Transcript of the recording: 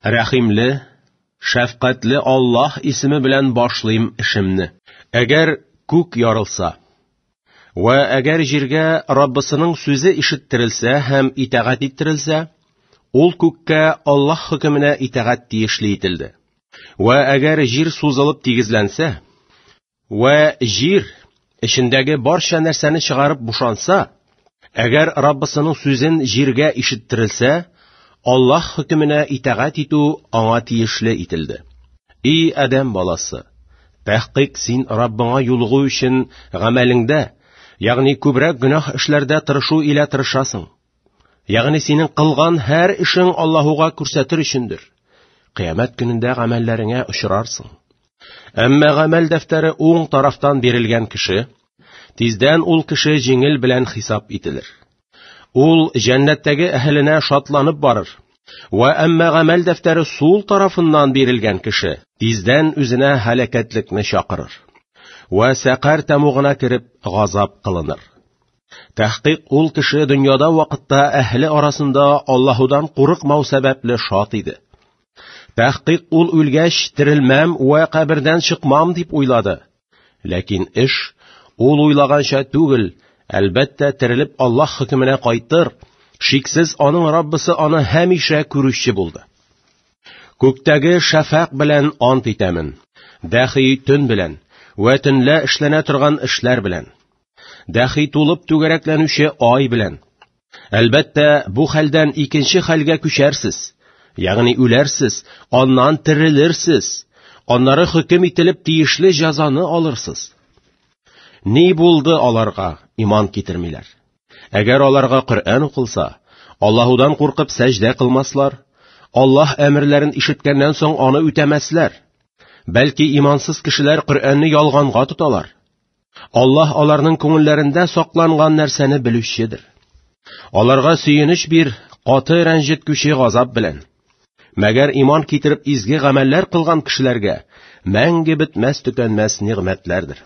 Рәхимле, шәфкатьле Аллаһ исеме белән башлыйм эшемне. Әгәр күк ярылса, вә әгәр җиргә Раббысының сүзе ишеттерелсә һәм итагать иттерелсә, ул күккә Аллаһ хөкеменә итагать тиешле ителде. Вә әгәр җир сузылып тигезләнсә, вә җир эчендәге барча нәрсәне чыгарып бушанса, әгәр Раббысының сүзен җиргә ишеттерелсә, Аллаһ хөкеменә итагать итү аңа тиешле ителде. И адәм баласы, тәхкыйк син Раббыңа юлыгу өчен гамәлеңдә, ягъни күбрәк гөнаһ эшләрдә тырышу илә тырышасың. Ягъни синең кылган һәр эшең Аллаһуга күрсәтер өчендер. Кыямәт көнендә гамәлләреңә очрарсың. Әмма гамәл дәфтәре уң тарафтан бирелгән кеше, тиздән ул кеше җиңел белән хисап ителер. Ул җәннәттәге әһеленә шатланып барыр. Вә әмма гамәл дәфтәре сул тарафыннан бирелгән кеше тиздән үзенә һәлакәтлекне чакырыр. Вә сәкар тәмугына кереп газап кылыныр. Тәхкыйк ул кеше дөньяда вакытта әһле арасында Аллаһудан курыкмау сәбәпле шат иде. Тәхкыйк ул үлгәч терелмәм вә кабердән чыкмам дип уйлады. Ләкин эш ул уйлаганча түгел, әлбәттә терелеп Аллаһ хөкеменә кайтыр, шиксез аның Раббысы аны һәмишә күрүче булды. Күктәге шәфәкъ белән ант итәмен, дәхи төн белән, вә төнлә эшләнә торган эшләр белән, дәхи тулып түгәрәкләнүче ай белән. Әлбәттә, бу хәлдән икенче хәлгә күчәрсез, ягъни үләрсез, аннан терелерсез, аннары хөкем ителеп тиешле җәзаны алырсыз. Ни булды аларга, иман китермиләр? Әгәр аларга Коръән укылса, Аллаһудан куркып сәҗдә кылмаслар, Аллаһ әмерләрен ишеткәннән соң аны үтәмәсләр. Бәлки имансыз кешеләр Коръәнне ялганга тоталар. Аллаһ аларның күңелләрендә сакланган нәрсәне белүчедер. Аларга сөенеч бир, каты рәнҗеткүче газап белән. Мәгәр иман китереп изге гамәлләр кылган кешеләргә мәңге бетмәс төкәнмәс нигъмәтләрдер.